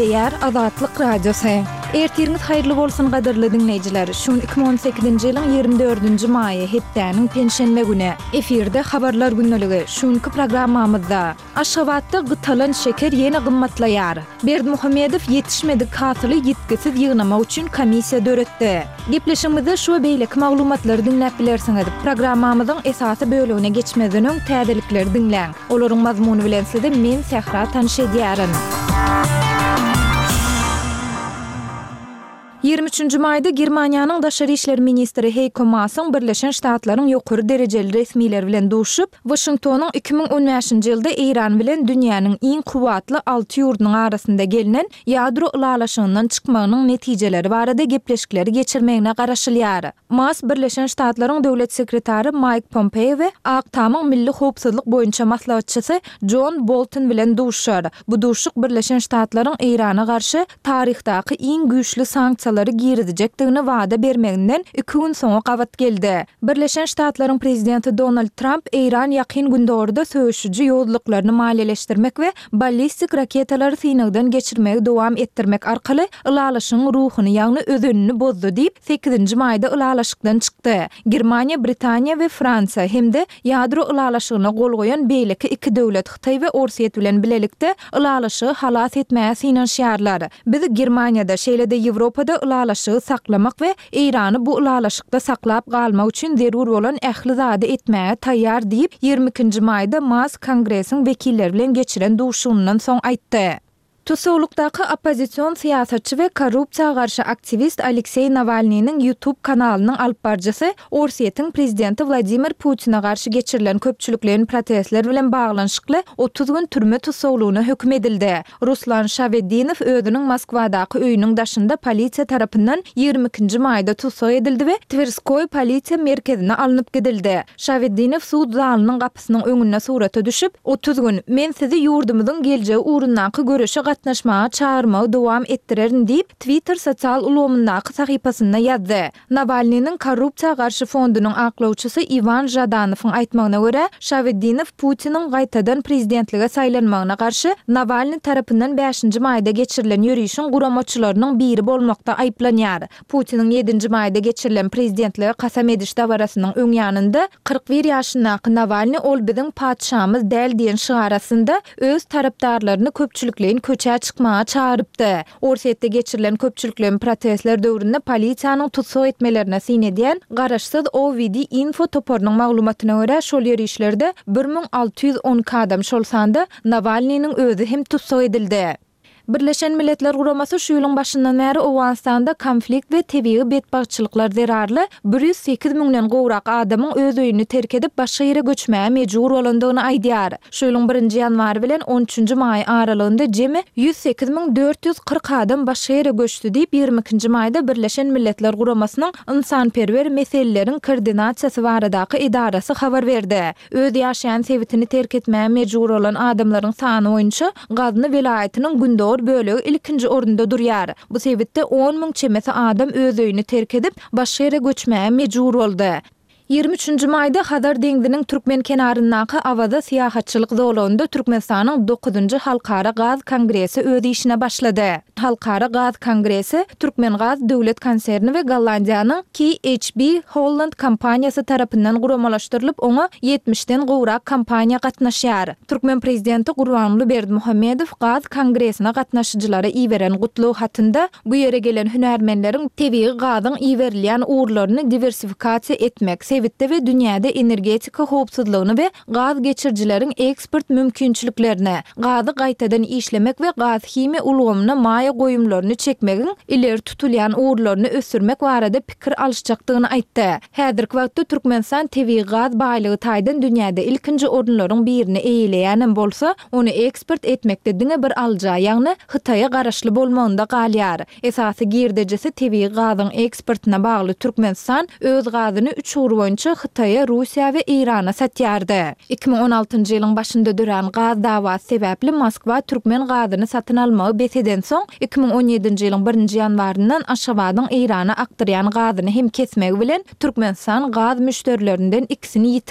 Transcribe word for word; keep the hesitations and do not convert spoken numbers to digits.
Gepleýär Azatlyk Radiosy. Ertiriňiz haýyrly bolsun gadyrly diňleýjiler. Şu gün iki müň on sekizinji ýylyň ýigrimi dördünji maýy, hepdäniň penşenbe güni. Efirde Habarlar gündeligi. Şu günki programmamyzda, Aşgabatda gytalan şeker ýene gymmatlaýar. Berdimuhamedow ýetişmedik hasyly ýitgisiz ýygnamak üçin komissiýa döretdi. Gepleşigimizde şu we beýleki maglumatlary diňläp bilersiňiz. Programmamyzyň esasy bölegine geçmezden öň täzelikleri diňläň. Olaryň mazmuny bilen sizi men Sähra tanyş edýärin. Ýigrimi üçünji maýda Germaniýanyň daşary işler ministri Heýko Maasyň Birleşen Ştatlaryň ýokary derejeli resmileri bilen duşup, Waşingtonyň iki müň on bäşinji ýylda Eýran bilen dünýäniň iň kuwwatly alty ýurdunyň arasynda gelnen ýadro ylalaşygyndan çykmagynyň netijeleri barada gepleşikleri geçirmegine garaşylýar. Maas Birleşen Ştatlaryň döwlet sekretary Maýk Pompeo we Ak Tamyň milli howpsuzlyk boýunça maslahatçysy Jon Bolton bilen duşuşar. Bu duşuşyk Birleşen Ştatlaryň Eýrana garşy taryhdaky iň güýçli sanksiýalary girizjekdigini wada bermeginden iki gün soňa gabat geldi. Birleşen Ştatlaryň prezidenti Donald Tramp Eýran Ýakyn Gündogarda söweşiji ýowuzlyklaryny maliýeleşdirmek we ballistik raketalary synagdan geçirmegi dowam etdirmek arkaly ylalaşygyň ruhuny, ýagny özenini bozdy diýip, sekizinji maýda ylalaşykdan çykdy. Germaniýa, Britaniýa we Fransiýa hem-de ýadro ylalaşygyna gol goýan beýleki iki döwlet Hytaý we Orsýet bilen bilelikde ylalaşygy halas etmäge synanyşýarlar. Biz Germaniýada, şeýle-de Ýewropada ylalaşygy saklamak we Eýrany bu ylalaşykda saklap galmak üçin zerur bolan ähli zady etmäge taýýar diýip, ýigrimi ikinji maýda Mask Kongresiň wekilleri bilen geçiren duşuşygyndan soň aýtdy. Tussaglykdaky oppozision syýasatçy we korrupsiýa garşy aktiwist Alekseý Nawalnynyň YouTube kanalynyň alypbaryjysy Orsýetiň prezidenti Wladimir Putine garşy geçirilen köpçülikleýin protestler bilen baglanyşykly otuz gün türme tussaglygyna höküm edildi. Ruslan Şaweddinow özüniň Moskwadaky öýüniň daşynda polisiýa tarapyndan ýigrimi ikinji maýda tussag edildi we Twerskoý polisiýa merkezine alnyp gidildi. Şaweddinow sud zalynyň gapysynyň öňünde surata düşüp, Otuz gün, men sizi ýurdumyzyň geljegi ugrundaky göreşe gatnaşmaga çagyrmagy dowam etdirerin diýip, Twitter sosial ulgamyndaky sahypasynda ýazdy. Nawalnynyň korrupsiýa garşy fondunyň aklawçysy Iwan Žadanowyň aýtmagyna görä, Şaweddinow Putiniň gaýtadan prezidentlige saýlanmagyna garşy Nawalny tarapyndan bäşinji maýda geçirilen ýörişiň guramaçylarynyň biri bolmakda aýyplanýar. Putiniň ýedinji maýda geçirilen prezidentlige kasam ediş dabarasynyň öň ýanynda kyrk bir ýaşyndaky Nawalny ol biziň patyşamyz däl diýen şygar astynda öz tarapdarlaryny köpçülikleýin köçä çykmaga çagyrypdy. Orsýetde geçirilen köpçülikleýin protestler döwründe polisiýanyň tussag etmelerine syn edýän garaşsyz O V D Info toparynyň maglumatyna görä, şol ýörişlerde bir müň alty ýüz on iki adam, şol sanda Nawalnynyň özi hem tussag edildi. Birleşen Milletler Guramasy şu ýylyň başyndan bäri Owganystanda konflikt we tebigy betbagtçylyklar zerarly bir ýüz sekiz müňden gowrak adamyň öz öýüni terk edip başga ýere göçmäge mejbur bolandygyny aýdýar. Şu ýylyň birinji ýanwary bilen on üçünji maý aralygynda jemi ýüz sekiz müň dört ýüz kyrk adam başga ýere göçdi diýip, ýigrimi ikinji maýda Birleşen Milletler Guramasynyň ynsanperwer meseleleriň koordinasiýasy baradaky edarasy habar berdi. Öz ýaşaýan sebitini terk etmäge mejbur bolan adamlaryň sany boýunça Gazny welaýatynyň gündogar bölegi ilkinji orunda durýar. Bu sebitde on müň çemesi adam öz öýüni terk edip, başga ýere göçmäge mejbur boldy. Ýigrimi üçünji maýda Hazar deňziniň türkmen kenaryndaky Awaza syýahatçylyk zolagynda Türkmenistanyň dokuzynjy Halkara gaz kongresi öz işine başlady. Halkara gaz kongresi Türkmengaz döwlet konserni we Gollandiýanyň K H B Holland kompaniýasy tarapyndan guramalaşdyrylyp, oňa ýetmişden gowrak kompaniýa gatnaşýar. Türkmen prezidenti Gurbanguly Berdimuhamedow gaz kongresine gatnaşyjylara iberen gutlag hatynda bu ýere gelen hünärmenleriň tebigy gazyň iberilýän ugurlaryny diwersifikasiýa etmek, sebitde we dünýäde energetika howpsuzlygyny we gaz geçirijileriň eksport mümkinçiliklerini, gazy gaýtadan işlemek we gaz-himiýa ulgamyna maýa goýumlaryny çekmegiň ileri tutulýan ugurlaryny ösdürmek barada pikir alyşjakdygyny aýtdy. Häzirki wagtda Türkmenistan tebigy gaz baýlygy taýdan dünýäde ilkinji orunlaryň birini eýeleýänem bolsa, ony eksport etmekde diňe bir alyja, ýagny Hytaýa garaşly bolmagynda galýar. Esasy girdejisi tebigy gazyň eksportyna bagly Türkmenistan öz gazyny üç ugur boýunça Hytaýa, Russiýa we Eýrana satýardy. Iki müň on altynjy ýylyň başynda dörän gaz dawasy sebäpli Moskwa türkmen gazyny satyn almagy bes edensoň, iki müň on ýedinji ýylyň birinji ýanwaryndan Aşgabadyň Eýrana akdyrýan gazyny hem kesmegi bilen Türkmenistan gaz müşderilerinden ikisini ýitirdi.